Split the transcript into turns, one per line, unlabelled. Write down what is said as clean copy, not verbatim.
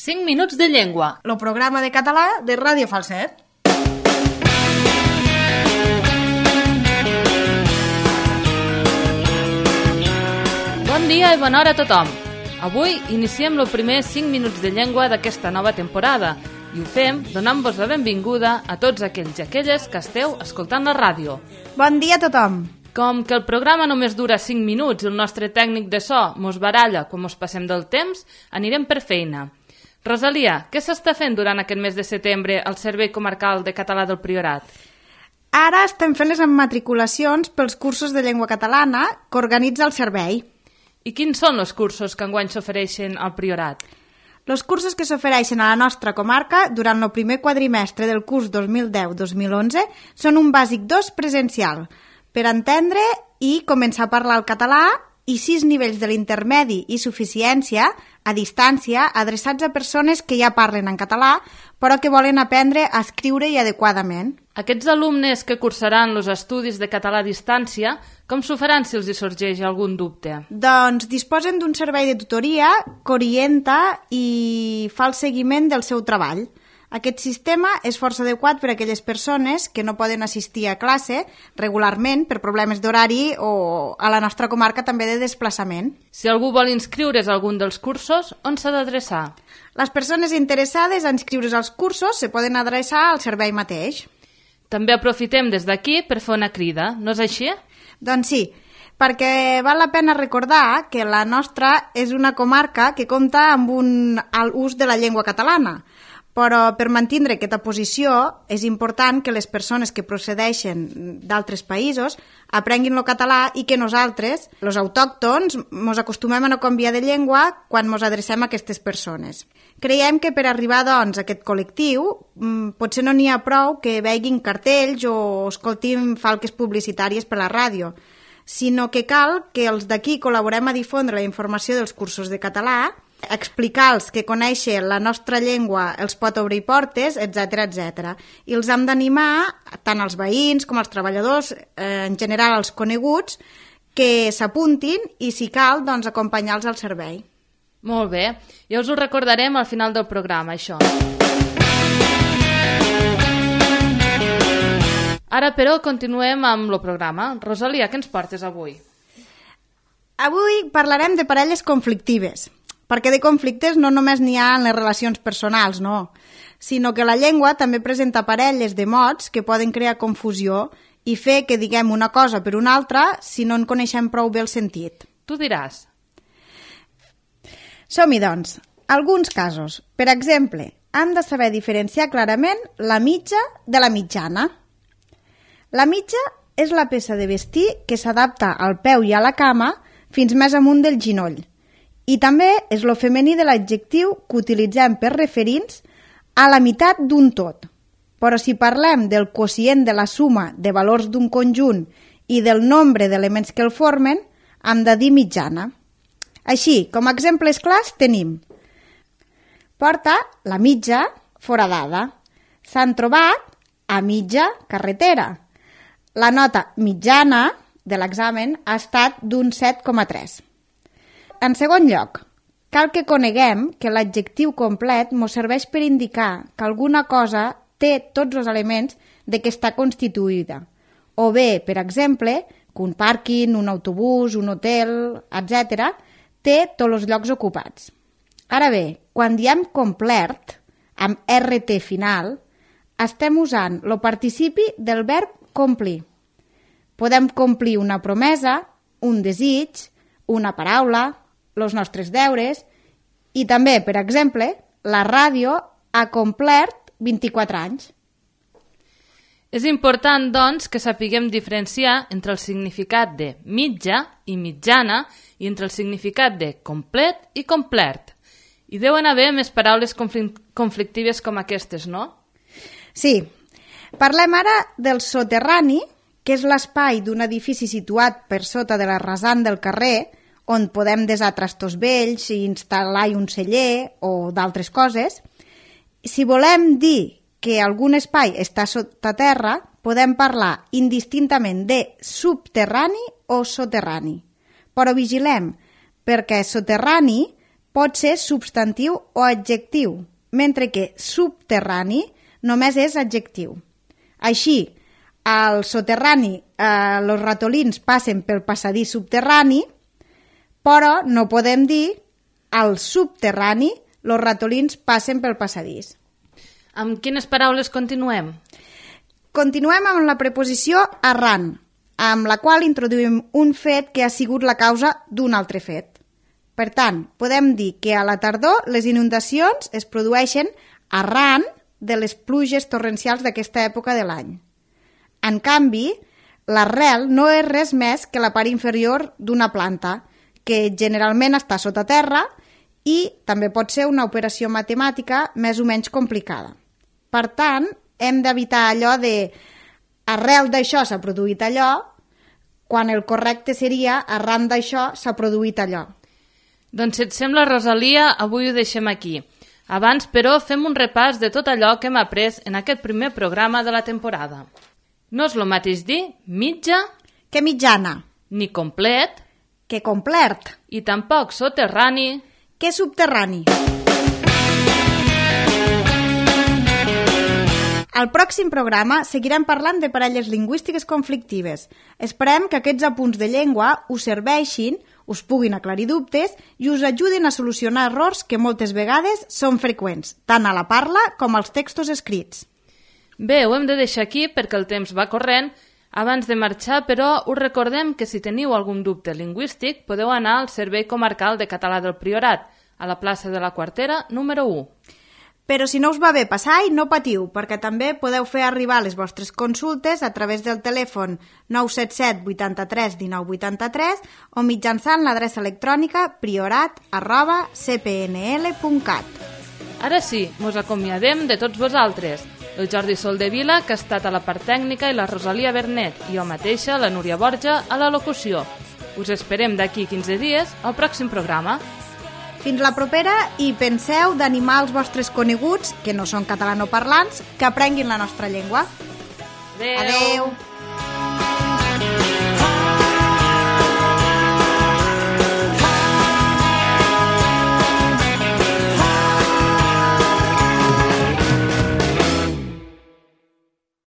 5 minuts de llengua.
El programa de català de Ràdio Falset.
Bon dia i bona hora a tothom. Avui iniciem el primer 5 minuts de llengua d'aquesta nova temporada i ho fem donant-vos la benvinguda a tots aquells i aquelles que esteu escoltant la ràdio.
Bon dia a tothom.
Com que el programa només dura 5 minuts i el nostre tècnic de so mos baralla quan mos passem del temps, anirem per feina. Rosalia, què s'està fent durant aquest mes de setembre al Servei Comarcal de Català del Priorat?
Ara estem fent les immatriculacions pels cursos de llengua catalana que organitza el servei.
I quins són els cursos que enguany s'ofereixen al Priorat?
Els cursos que s'ofereixen a la nostra comarca durant el primer quadrimestre del curs 2010-2011 són un bàsic 2 presencial, per entendre i començar a parlar el català i 6 nivells de l'intermedi i suficiència a distància adreçats a persones que ja parlen en català però que volen aprendre a escriure-hi adequadament.
Aquests alumnes que cursaran els estudis de català a distància, com s'ho faran si els hi sorgeix algun dubte?
Doncs disposen d'un servei de tutoria que orienta i fa el seguiment del seu treball. Aquest sistema és força adequat per a aquelles persones que no poden assistir a classe regularment per problemes d'horari o a la nostra comarca també de desplaçament.
Si algú vol inscriure's a algun dels cursos, on s'ha d'adreçar?
Les persones interessades a inscriure's als cursos se poden adreçar al servei mateix.
També aprofitem des d'aquí per fer una crida, no és així?
Doncs sí, perquè val la pena recordar que la nostra és una comarca que compta amb un alt ús de la llengua catalana, però per mantindre aquesta posició és important que les persones que procedeixen d'altres països aprenguin el català i que nosaltres, els autòctons, ens acostumem a no canviar de llengua quan ens adrecem a aquestes persones. Creiem que per arribar doncs, a aquest col·lectiu potser no n'hi ha prou que veguin cartells o escoltin falques publicitàries per la ràdio, sinó que cal que els d'aquí col·laborem a difondre la informació dels cursos de català, explicar-los que conèixer la nostra llengua els pot obrir portes, etc etc. I els hem d'animar, tant els veïns com els treballadors, en general els coneguts, que s'apuntin i, si cal, doncs, acompanyar-los al servei.
Molt bé, ja us ho recordarem al final del programa, això. Ara, però, continuem amb el programa. Rosalia, què ens portes avui?
Avui parlarem de parelles conflictives, perquè de conflictes no només n'hi ha en les relacions personals, no, sinó que la llengua també presenta parelles de mots que poden crear confusió i fer que diguem una cosa per una altra si no en coneixem prou bé el sentit.
Tu diràs.
Som-hi, doncs. Alguns casos. Per exemple, hem de saber diferenciar clarament la mitja de la mitjana. La mitja és la peça de vestir que s'adapta al peu i a la cama fins més amunt del ginoll. I també és lo femení de l'adjectiu que utilitzem per referir-nos a la meitat d'un tot. Però si parlem del quocient de la suma de valors d'un conjunt i del nombre d'elements que el formen, hem de dir mitjana. Així, com a exemples clars, tenim: porta la mitja foradada. S'han trobat a mitja carretera. La nota mitjana de l'examen ha estat d'un 7,3. En segon lloc, cal que coneguem que l'adjectiu complet ens serveix per indicar que alguna cosa té tots els elements de què està constituïda. O bé, per exemple, que un pàrquing, un autobús, un hotel, etc., té tots els llocs ocupats. Ara bé, quan diem complert, amb RT final, estem usant el participi del verb complir. Podem complir una promesa, un desig, una paraula, els nostres deures i també, per exemple, la ràdio ha complert 24 anys.
És important, doncs, que sapiguem diferenciar entre el significat de mitja i mitjana i entre el significat de complet i complert. I deuen haver més paraules conflictives com aquestes, no?
Sí. Parlem ara del soterrani, que és l'espai d'un edifici situat per sota de la rasant del carrer, on podem desar trastos vells i instal·lar un celler o d'altres coses. Si volem dir que algun espai està sota terra, podem parlar indistintament de subterrani o soterrani. Però vigilem, perquè soterrani pot ser substantiu o adjectiu, mentre que subterrani només és adjectiu. Així, al soterrani els ratolins passen pel passadís subterrani, però no podem dir al subterrani els ratolins passen pel passadís.
Amb quines paraules continuem?
Continuem amb la preposició arran, amb la qual introduïm un fet que ha sigut la causa d'un altre fet. Per tant, podem dir que a la tardor les inundacions es produeixen arran de les pluges torrencials d'aquesta època de l'any. En canvi, l'arrel no és res més que la part inferior d'una planta, que generalment està sota terra i també pot ser una operació matemàtica més o menys complicada. Per tant, hem d'evitar allò de arrel d'això s'ha produït allò, quan el correcte seria arran d'això s'ha produït allò.
Doncs si et sembla, Rosalia, avui ho deixem aquí. Abans, però, fem un repàs de tot allò que hem après en aquest primer programa de la temporada. No és el mateix dir mitja
que mitjana,
ni complet
que complert,
i tampoc soterrani
que subterrani. Al pròxim programa seguirem parlant de parelles lingüístiques conflictives. Esperem que aquests apunts de llengua us serveixin, us puguin aclarir dubtes i us ajudin a solucionar errors que moltes vegades són freqüents, tant a la parla com als textos escrits.
Bé, ho hem de deixar aquí perquè el temps va corrent. Abans de marxar, però, us recordem que si teniu algun dubte lingüístic podeu anar al Servei Comarcal de Català del Priorat, a la plaça de la Quartera, número 1.
Però si no us va bé passar-hi, no patiu, perquè també podeu fer arribar les vostres consultes a través del telèfon 977 83 19 83 o mitjançant l'adreça electrònica priorat@cpnl.cat.
Ara sí, mos acomiadem de tots vosaltres. El Jordi Soldevila, que ha estat a la part tècnica, i la Rosalia Bernet, i jo mateixa, la Núria Borja, a la locució. Us esperem d'aquí 15 dies al pròxim programa.
Fins la propera i penseu d'animar els vostres coneguts, que no són catalanoparlants, que aprenguin la nostra llengua.
Adeu!
Adeu!